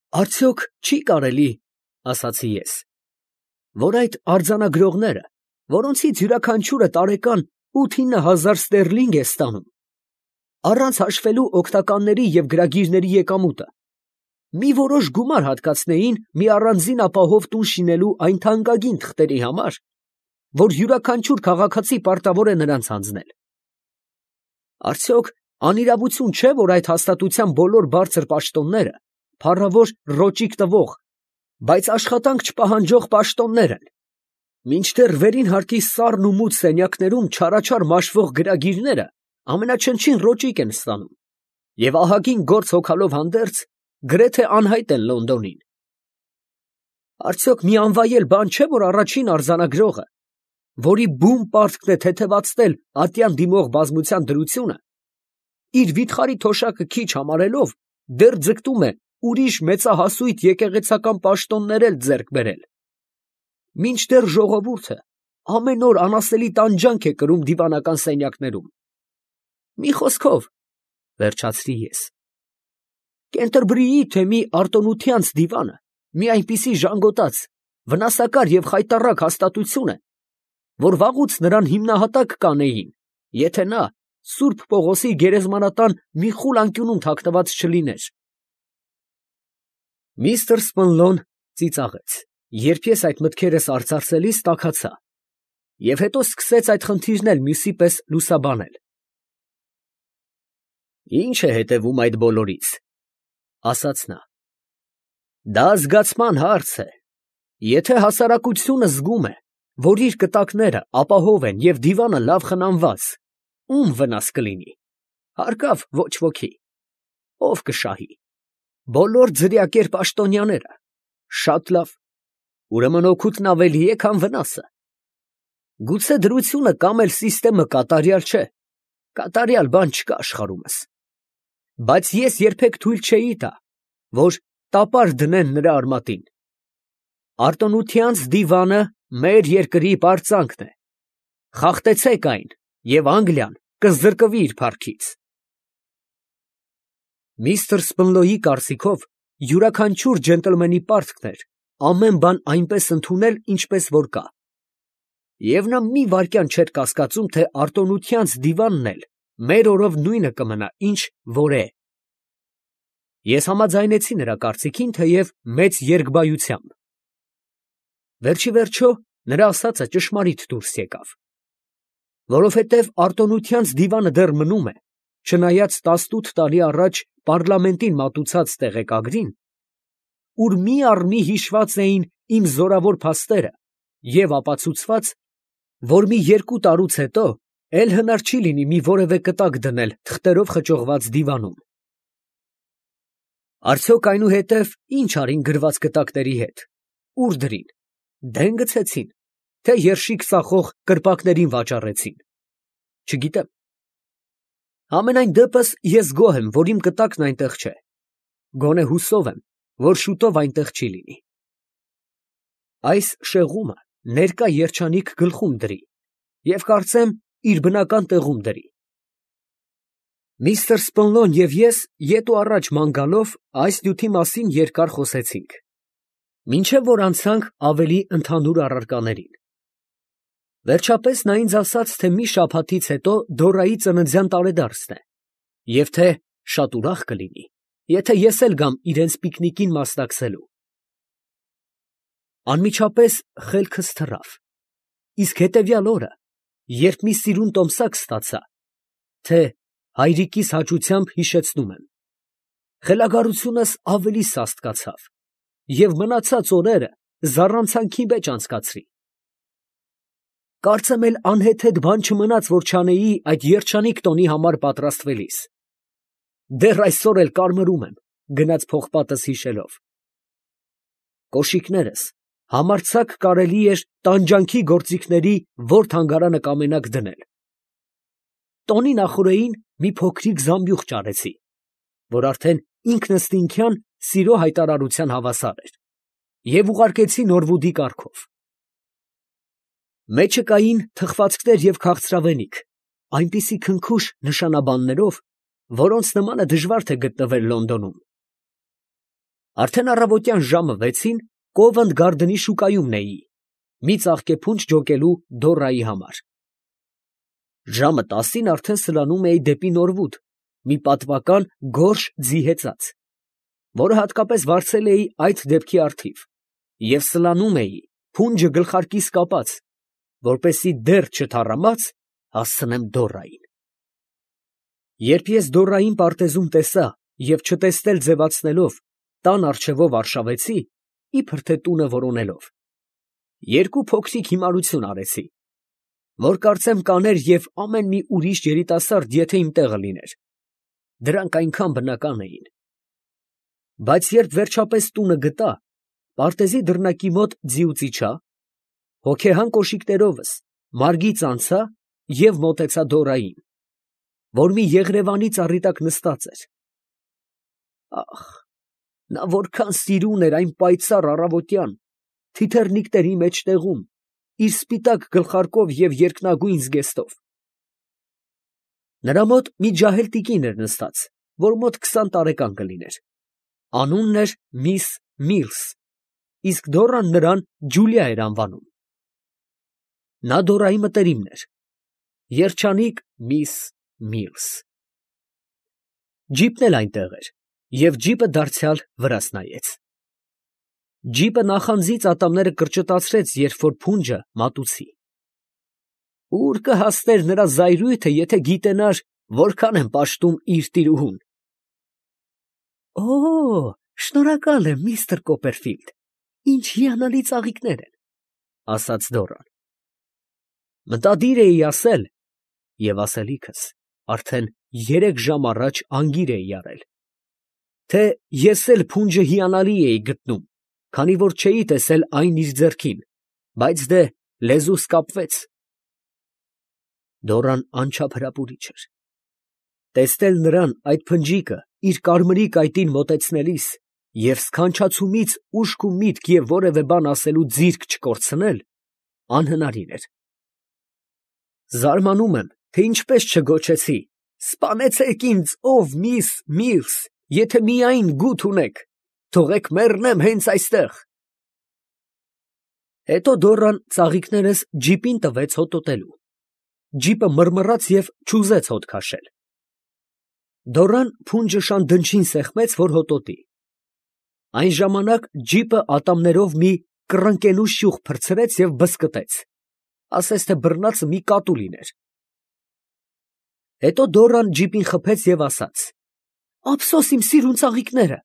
Արդյոք չի կարելի, ասացի ես, որ այդ արձանագրողները, որոնցից յուրաքանչյուրը տարեկան 8-9 հազար ստերլինգ է ստանում, առանց հաշվելու օգնականների և գրագիրների եկամուտը, մի որոշ գումար հատկացնեին մի առանձին ապահով տուն շինելու այն թանկագին թղթերի համար, որ յուրաքանչյուր քաղաքացի պարտավոր է նրանց հանձնել։ Արդյոք անիրավություն չէ, որ այդ հաստատության բոլոր բարձր պաշտոնները փառավոր ռոճիկ տվող, բայց աշխատանք չպահանջող պաշտոններ են, մինչդեռ վերին հարկի սառն ու մութ սենյակներում չարաչար մաշվող գրագիրները ամենաչնչին ռոճիկ են ստանում և ահագին գործ հոգալով հանդերձ գրեթե անհայտ են Լոնդոնին։ Արդյոք մի անվայել բան չէ, որ առաջին արձանագրողը, որի բուն պարտքն է թեթևացնել ատյան դիմող բազմության դրությունը, իր վիթխարի թոշակը քիչ համարելով, դեռ ձգտում է ուրիշ մեծահասույթ եկեղեցական պաշտոններ էլ ձեռք բերել, մինչդեռ ժողովուրդը ամեն օր անասելի տանջանք է կրում դիվանական սենյակներում։ Մի խոսքով, վերջացրի ես, Կենտերբրիի թեմի արտոնությանց դիվանը մի այնպիսի ժանգոտած, վնասակար և խայտառակ հաստատություն է, որ վաղուց նրան հիմնահատակ կանեին, եթե նա Սուրբ Պողոսի գերեզմանատան մի խուլ անկյունում թաքնված չլիներ։ Միսթր Սպենլոն ծիծաղեց, երբ ես այդ մտքերս արծարծելիս տաքացա, և հետո սկսեց այդ խնդիրն էլ մյուսի պես լուսաբանել։ Ի՞նչ է հետևում այդ բոլորից, ասաց նա։ Դա զգացման հարց է։ Եթե հասարակությունը զգում է, որ իր կտակները ապահով են և դիվանը լավ խնամված, ո՞ւմ վնաս կլինի։ Հարկավ ոչ ոքի։ Ո՞վ կշահի։ Բոլոր ձրիակեր պաշտոնյաները։ Շատ լավ։ Ուրեմն օգուտն ավելի է, քան վնասը։ Գուցե դրությունը կամ էլ սիստեմը կատարյալ չէ։ Կատարյալ բան չկա աշխարհումս։ Բայց ես երբեք թույլ չէի տա, որ տապար դնեն նրա արմատին։ Արտոնությանց դիվանը մեր երկրի պարծանքն է։ Խախտեցեք այն, և Անգլիան կզրկվի իր փառքից։ Միսթր Սպենլոյի կարծիքով յուրաքանչյուր ջենտլմենի պարտքն էր ամեն բան այնպես ընդունել, ինչպես որ կա։ Եվ նա մի վայրկյան չէր կասկածում, թե արտոնությանց դիվանն էլ մեր օրով նույնը կմնա, ինչ որ է։ Ես համաձայնեցի նրա կարծիքին, թեև մեծ երկբայությամբ։ Վերջի վերջո նրա ասածը ճշմարիտ դուրս եկավ, որովհետև արտոնությանց դիվանը դեռ մնում է, չնայած 18 տարի առաջ պառլամենտին մատուցած տեղեկագրին, ուր մի առ մի հիշված էին իմ զորավոր փաստերը և ապացուցված, որ մի 2 տարուց հետո էլ հնար չի լինի մի որևէ կտակ դնել թղթերով խճողված դիվանում։ Արդյոք այնուհետև ի՞նչ արին գրված կտակների հետ, ուր դրին, դեն գցեցին, թե երշիկ ծախող կրպակներին վաճառեցին։ Չգիտեմ։ Համենայն դեպս ես գոհ եմ, որ իմ կտակն այնտեղ չէ։ Գոնե հուսով եմ, որ շուտով այնտեղ չի լինի։ Այս շեղումը ներկա երջանիկ գլխում դրի և կարծեմ իր բնական տեղում դրի։ Միսթր Սպենլոն և ես ետ ու առաջ ման գալով այս նյութի մասին երկար խոսեցինք, մինչև որ անցանք ավելի ընդհանուր առարկաներին։ Վերջապես նա ինձ ասաց, թե մի շաբաթից հետո Դորայի ծննդյան տարեդարձն է, և թե շատ ուրախ կլինի, եթե ես էլ գամ իրենց պիկնիկին մասնակցելու։ Անմիջապես խելքս թռավ, իսկ հետևյալ օրը, երբ մի սիրուն տոմսակ ստացա, թե հայրիկիս հաճությամբ հիշեցնում եմ, խելագարությունս ավելի սաստկացավ և մնացած օրերը զառանցանքի մեջ անցկացրի։ Կարծեմ էլ անհեթեթ բան չմնաց, որ չանեի այդ երջանիկ տոնի համար պատրաստվելիս։ Դեռ այսօր էլ կարմրում եմ, գնած փողպատս հիշելով։ Կոշիկներս համարձակ կարելի էր տանջանքի գործիքների որ թանգարանը կամենաք դնել։ Տոնի նախօրեին մի փոքրիկ զամբյուղ ճարեցի, որ արդեն ինքնըստինքյան սիրո հայտարարության հավասար էր, և ուղարկեցի Նորվուդի կարգով։ Մեջը կային թխվածքներ և քաղցրավենիք, այնպիսի քնքուշ նշանաբաններով, որոնց նմանը դժվար թե գտնվեր Լոնդոնում։ Արդեն առավոտյան ժամը 6-ին Կովենտ Գարդենի շուկայումն էի, մի ծաղկեփունջ ջոկելու Դորայի համար։ Ժամը 10-ին արդեն սլանում էի դեպի Նորվուդ, մի պատվական գորշ ձի հեծած, որը հատկապես վարձել էի այդ դեպքի առթիվ, և սլանում էի, փունջը գլխարկիս կապած, որպեսզի դեռ չթառամած հասցնեմ Դորային։ Երբ ես Դորային պարտեզում տեսա և չտեսնել ձևացնելով, տան առջևով արշավեցի, իբր թե տունը որոնելով, երկու փոքրիկ հիմարություն արեցի, որ կարծեմ կաներ և ամեն մի ուրիշ երիտասարդ, եթե իմ տեղը լիներ. դրանք այնքան բնական էին։ Բայց երբ վերջապես տունը գտա, պարտեզի դռնակի մոտ ձիուց իջա, հոգեհան կոշիկներովս մարգից անցա և մոտեցա Դորային, որ մի եղրևանի ծառի տակ նստած էր։ Ախ, նա որքան սիրուն էր այն պայծառ առավոտյան, թիթեռնիկների մեջտեղում, իր սպիտակ գլխարկով և երկնագույն զգեստով։ Նրա մոտ մի ջահել տիկին էր նստած, որ մոտ 20 տարեկան կլիներ, անունն էր միս Միլս, իսկ Դորան նրան Ջուլիա էր անվանում։ Նա Դորայի մտերիմն էր, երջանիկ միս Միլս։ Ջիպն էլ այնտեղ էր, և ջիպը դարձյալ վրաս նայեց։ Ջիպը նախանձից ատամները կրճտացրեց, երբ որ փունջը մատուցի։ Ուր կհասներ նրա զայրույթը, եթե գիտենար, որքան եմ պաշտում իր տիրուհուն։ Օ, շնորհակալ եմ, միստր Կոպերֆիլդ, ինչ հիանալի ծաղիկներ են, ասաց Դորան։ Մտադիր էի ասել, և ասելիքս արդեն 3 ժամ առաջ անգիր էի արել, թե ես էլ փունջը հիանալի էի գտնում, քանի որ չէի տեսել այն իր ձեռքին, բայց դե լեզուս կապվեց։ Դորան անչափ հրապուրիչ էր։ Տեսնել նրան այդ փնջիկը իր կարմրի կայտին մոտեցնելիս և սքանչացումից ուշք ու միտք և որևէ բան ասելու ձիրք չկորցնել անհնարին էր։ Զարմանում եմ, թե ինչպես չգոչեցի. «Սպանեցեք ինձ, ով միս Միլս, եթե միայն գութ ունեք, թողեք մեռնեմ հենց այստեղ»։ Հետո Դորան ծաղիկներս ջիպին տվեց հոտոտելու։ Ջիպը մռմռաց և չուզեց հոտ քաշել։ Դորան փունջը շան դնչին սեղմեց, որ հոտոտի։ Այն ժամանակ ջիպը ատամներով մի կռնկենու շյուղ փրցրեց և բզկտեց, ասես թե բռնածը մի կատու լիներ։ Հետո Դորան ջիպին խփեց և ասաց. «Ափսոս իմ սիրուն ծաղիկները»,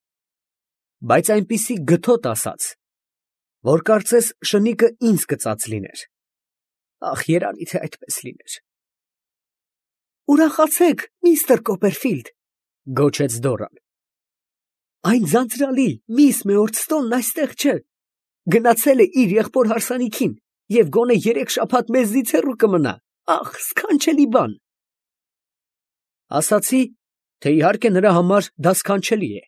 բայց այնպիսի գթոտ ասաց, որ կարծես շնիկը ինձ գծած լիներ։ Ախ, երանի թե այդպես լիներ։ «Ուրախացեք, միստր Կոպերֆիլդ», գոչեց Դորան։ «Այն ձանձրալի միս Մեորդստոնն այստեղ չէ, գնացել է իր եղբոր հարսանիքին և գոնե 3 շաբաթ մեզնից հեռու կմնա, ախ, սքանչելի բան»։ Ասացի, թե իհարկե նրա համար դա սքանչելի է,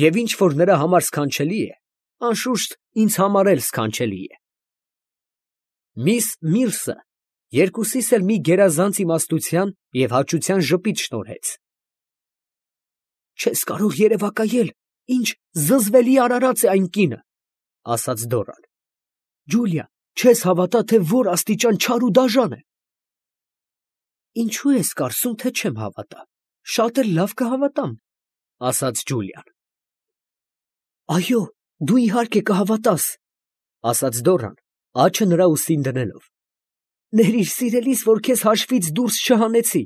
և ինչ որ նրա համար սքանչելի է, անշուշտ ինձ համար էլ սքանչելի է։ Միս Միլսը երկուսիս էլ մի գերազանց իմաստության և հաճության ժպիտ շնորհեց։ «Չես կարող երևակայել, ինչ զզվելի արարած է այն կինը», ասաց Դորան։ «Ջուլիա, չես հավատա, թե որ աստիճան չար ու դաժան է»։ «Ինչու ես կարծում, թե չեմ հավատա, շատ էլ լավ կհավատամ», ասաց Ջուլիան։ «Այո, դու իհարկե կհավատաս», ասաց Դորան, աջը նրա ուսին դնելով։ «Ներիր սիրելիս, որ քեզ հաշվից դուրս չհանեցի»։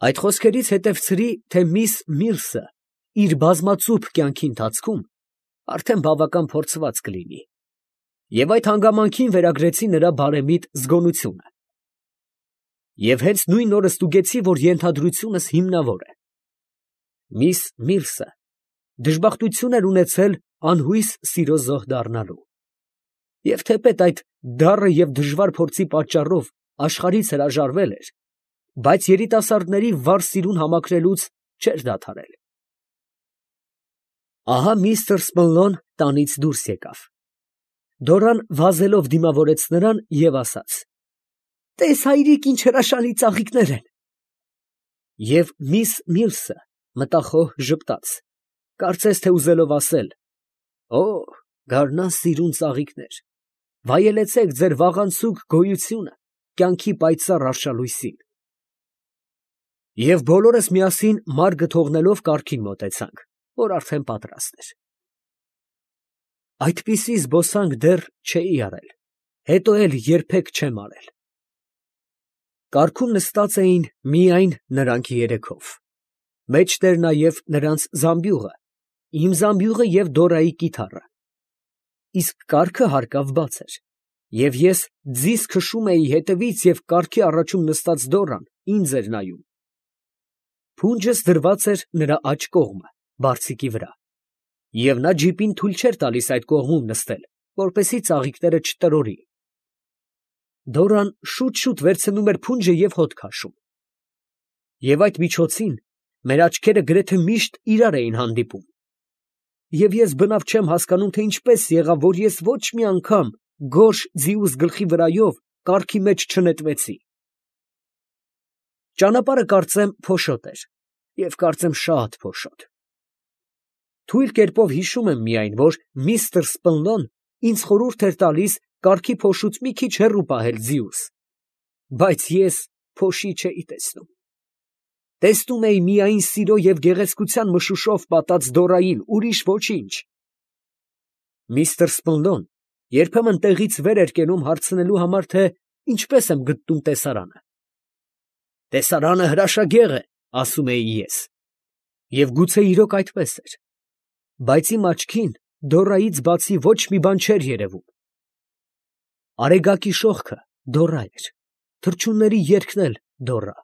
Այդ խոսքերից հետևցրի, թե միս Միլսը իր բազմածուփ կյանքի ընթացքում արդեն բավական փորձված կլինի, և այդ հանգամանքին վերագրեցի նրա բարեմիտ զգոնությունը։ Եվ հենց նույն օրը ստուգեցի, որ ենթադրությունս հիմնավոր է։ Միս Միլսը դժբախտություն էր ունեցել անհույս սիրո զոհ դառնալու, և թեպետ այդ դառը և դժվար փորձի պատճառով աշխարհից հրաժարվել էր, բայց երիտասարդների վառ սիրուն համակրելուց չէր դադարել։ Ահա միստր Սմլլոն տանից դուրս եկավ։ Դորան վազելով դիմավորեց նրան և ասաց. «Տես, հայրիկ, ինչ հրաշալի ծաղիկներ են»։ Եվ միս Միլսը մտախոհ ժպտաց, Կարծես թե ուզելով ասել. «Օ, գարնան սիրուն ծաղիկներ, վայելեցեք ձեր վաղանցուկ գոյությունը կյանքի պայծառ արշալույսին»։ Եվ բոլորս միասին մարգը թողնելով կառքին մոտեցանք, որ արդեն պատրաստ էր։ Այդպիսի զբոսանք դեռ չէի արել, հետո էլ երբեք չեմ արել։ Կառքում նստած էին միայն նրանք երեքով, մեջտեղ նաև նրանց զամբյուղը, իմ զամբյուղը և Դորայի կիթառը, իսկ կառքը հարկավ բաց էր, և ես ձիզ քշում էի հետևից և կառքի առաջում նստած Դորան ինձ էր նայում։ Փունջս դրված էր նրա աջ կողմը, բարձիկի վրա, և նա ջիպին թույլ չէր տալիս այդ կողմում նստել, որպեսզի ծաղիկները չտրորի։ Դորան շուտ վերցնում էր փունջը և հոտ քաշում։ Եվ այդ միջոցին մեր աչքերը գրեթե միշտ իրար էին հանդիպում։ Եվ ես բնավ չեմ հասկանում, թե ինչպես եղավ, որ ես ոչ մի անգամ գորշ ձիուս գլխի վրայով կառքի մեջ չնետվեցի։ Ճանապարհը կարծեմ փոշոտ էր, և կարծեմ շատ փոշոտ։ Թույլ կերպով հիշում եմ միայն, որ միստր Սպլնոն ինձ խորհուրդ էր տալիս կառքի փոշուց մի քիչ հեռու պահել ձիուս, բայց ես փոշի չէի տեսնում։ Տեսնում էի միայն սիրո և գեղեցկության մշուշով պատած Դորային, ուրիշ ոչինչ։ Միստր Սպլնդոն երբեմն տեղից վեր էր կենում հարցնելու համար, թե ինչպես եմ գտնում տեսարանը։ «Տեսարանը հրաշագեղ է», ասում էի ես, և գուցե իրոք այդպես էր, բայց իմ աչքին Դորայից բացի ոչ մի բան չէր երևում։ Արեգակի շողքը Դորա էր, թռչունների երգն էլ Դորա,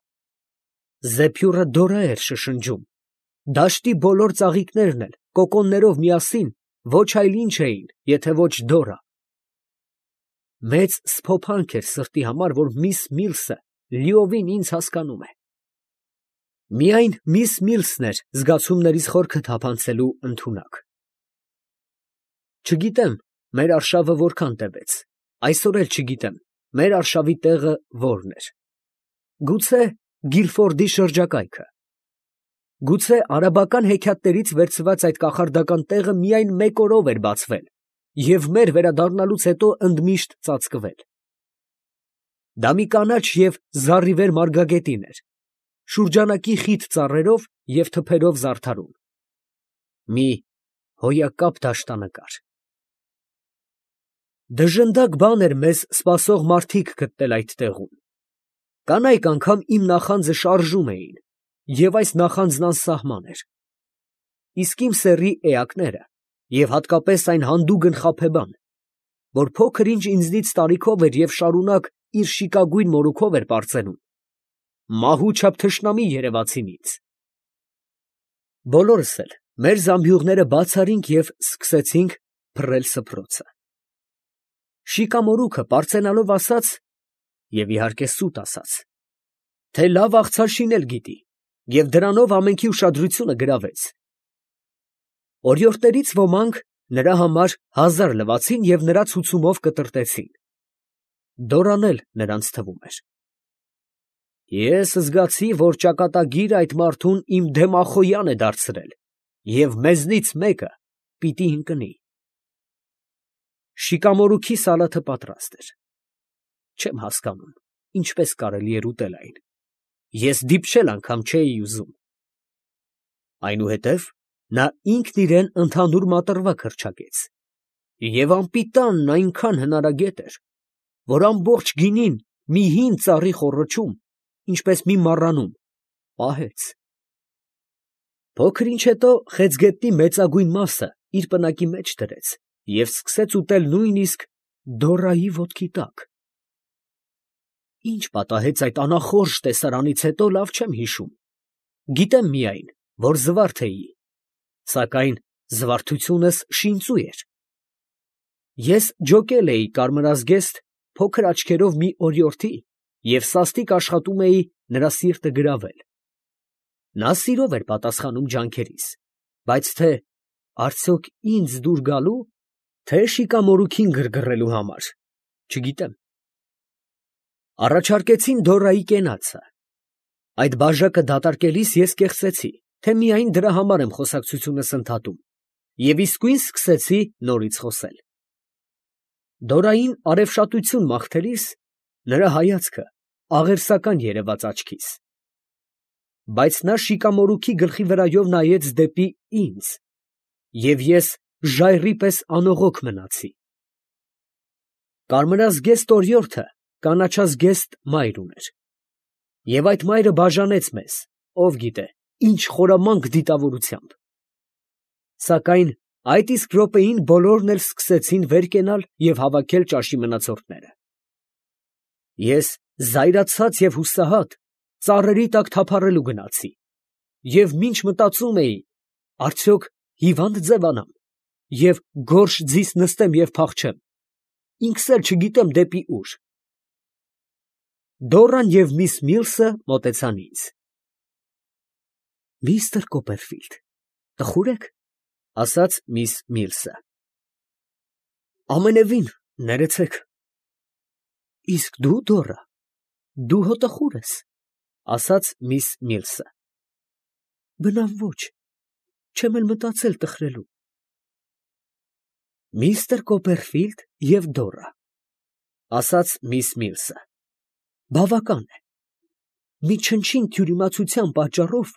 զեփյուռը Դորա էր շշնջում, դաշտի բոլոր ծաղիկներն էլ կոկոններով միասին ոչ այլ ինչ էին, եթե ոչ Դորա։ Մեծ սփոփանք էր սրտի համար, որ միս Միլսը լիովին ինձ հասկանում է։ Միայն միս Միլսն էր զգացումներիս խորքը թափանցելու ընդունակ։ Չգիտեմ մեր արշավը որքան տևեց, այսօր էլ չգիտեմ մեր արշավի տեղը որն էր։ Գուցե Գիլֆորդի շրջակայքը։ Գուցե արաբական հեքիաթներից վերցված այդ կախարդական տեղը միայն մեկ օրով էր բացվել և մեր վերադառնալուց հետո ընդմիշտ ծածկվել։ Դա մի կանաչ և զառիվեր մարգագետին էր, շուրջանակի խիտ ծառերով և թփերով զարդարուն։ Մի հոյակապ դաշտանկար։ Դժնդակ բան էր մեզ սպասող մարդիկ գտնել այդ տեղում։ Կանայք անգամ իմ նախանձը շարժում էին, և այս նախանձն անսահման էր։ Իսկ իմ սեռի էակները, և հատկապես այն հանդուգն խաբեբան, որ փոքր ինչ ինձնից տարիքով էր և շարունակ իր շիկագույն մորուքով էր պարծենում, մահու չափ թշնամի երևացին ինձ։ Բոլորս էլ մեր զամբյուղները բաց արինք և սկսեցինք փռել սփռոցը։ Շիկամորուքը պարծենալով ասաց, և իհարկե սուտ ասաց, թե լավ աղցար շինել գիտի, և դրանով ամենքի ուշադրությունը գրավեց։ Օրիորդներից ոմանք նրա համար 1000 լվացին և նրա ցուցումով կտրտեցին։ Դորան էլ նրանց թվում էր։ Ես զգացի, որ ճակատագիրը այդ մարդուն իմ դեմ Ախոյան է դարձրել, և մեզնից մեկը պիտի ընկնի։ Շիկամորուքի սալաթը պատրաստ էր։ Չեմ հասկանում, ինչպես կարելի էր ուտել այն։ Ես դիպչել անգամ չէի ուզում։ Այնուհետև նա ինքն իրան ընդհանուր մատռվակ հռչակեց, և անպիտանն այնքան հնարագետ էր, որ ամբողջ գինին մի հին ծառի խոռոչում, ինչպես մի մառանում, պահեց։ Փոքր ինչ հետո խեցգետնի մեծագույն մասը իր պնակի մեջ դրեց և սկսեց ուտել նույնիսկ Դորայի ոտքի տակ։ Ինչ պատահեց այդ անախորժ տեսարանից հետո, լավ չեմ հիշում, գիտեմ միայն, որ զվարթ էի, սակայն զվարթությունս շինծու էր։ Ես ջոկել էի կարմրազգեստ փոքր աչքերով մի օրիորդի և սաստիկ աշխատում էի նրա սիրտը գրավել։ Նա սիրով էր պատասխանում ջանքերիս, բայց թե արդյոք ինձ դուր գալու, թե շիկամորուքին գրգռելու համար, չգիտեմ։ Առաջարկեցին Դորայի կենացը։ Այդ բաժակը դատարկելիս ես կեղծեցի, թե միայն դրա համար եմ խոսակցությունս ընդհատում, և իսկույն սկսեցի նորից խոսել։ Դորային արևշատություն մաղթելիս նրա հայացքը աղերսական երևաց աչքիս, բայց նա շիկամորուքի գլխի վրայով նայեց դեպի ինձ, և ես ժայռի պես անողոք մնացի։ Կարմրազգեստ օրիորդը կանաչազգեստ մայր ուներ, և այդ մայրը բաժանեց մեզ, ով գիտե, ինչ խորամանկ դիտավորությամբ։ Սակայն այդ իսկ րոպեին բոլորն էլ սկսեցին վեր կենալ և հավաքել ճաշի մնացորդները։ Ես զայրացած և հուսահատ ծառերի տակ թափառելու գնացի, և մինչ մտածում էի, արդյոք հիվա՞նդ ձևանամ, և գորշ ձիս նստեմ և փախչեմ, ինքս էլ չգիտեմ դեպի ուր։ Դոռան և միս Միլսը մոտեցան ինձ։ «Միստր Կոպերֆիլդ, տխո՞ւր եք, ֊ ասաց միս Միլսը։ ֊ Ամենևին, ներեցեք։ ֊ Իսկ դու, Դոռա, դու հո տխո՞ւր ես, ֊ ասաց միս Միլսը։ ֊ Բնավ ոչ, չեմ էլ մտածել տխրելու։ ֊ Միստր Կոպերֆիլդ և Դոռա, ֊ ասաց միս Միլսը, ֊ բավական է, մի չնչին թյուրիմացության պատճառով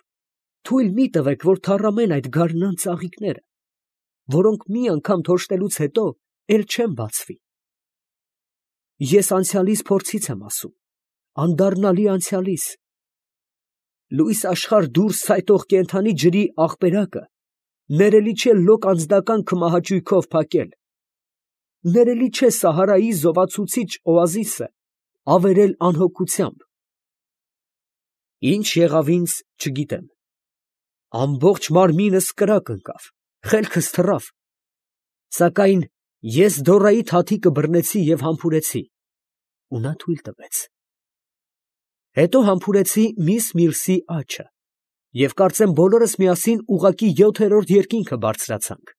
թույլ մի տվեք, որ թառամեն այդ գարնան ծաղիկները, որոնք մի անգամ թոշտելուց հետո էլ չեն բացվի։ Ես անցյալիս փորձից եմ ասում, անդառնալի անցյալիս։ Լույս աշխարհ դուրս ցայտող կենդանի ջրի աղբերակը ներելի չէ լոկ անձնական քմահաճույքով փակել, ներելի չէ Սահարայի զովացուցիչ օազիսը ավերել անհոգությամբ։ Ինչ եղավ ինձ, չգիտեմ, ամբողջ մարմինս կրակ ընկավ, խելքս թռավ, սակայն ես Դոռայի թաթիկը բռնեցի և համբուրեցի, ու նա թույլ տվեց։ Հետո համբուրեցի միս Միլսի աջը, և կարծեմ բոլորս միասին ուղղակի 7-րդ երկինքը բարձրացանք,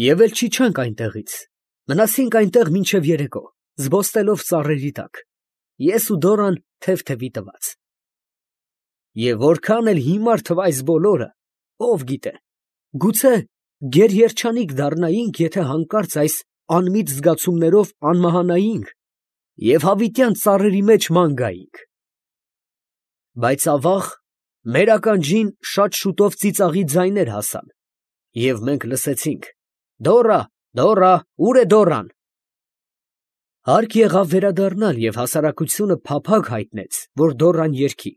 և էլ չիջանք այնտեղից, մնացինք այնտեղ մինչև երեկո, զբոսնելով ծառերի տակ, ես ու Դոռան թև֊թևի տված։ Եվ որքան էլ հիմար թվա այս բոլորը, ով գիտե, գուցե գերերջանիկ դառնայինք, եթե հանկարծ այս անմիտ զգացումներով անմահանայինք և հավիտյան ծառերի մեջ ման գայինք։ Բայց ավաղ, մեր ականջին շատ շուտով ծիծաղի ձայներ հասան, և մենք լսեցինք. «Դոռա, Դոռա, ո՞ւր է Դոռան»։ Հարկ եղավ վերադառնալ, և հասարակությունը փափագ հայտնեց, որ Դոռան երգի։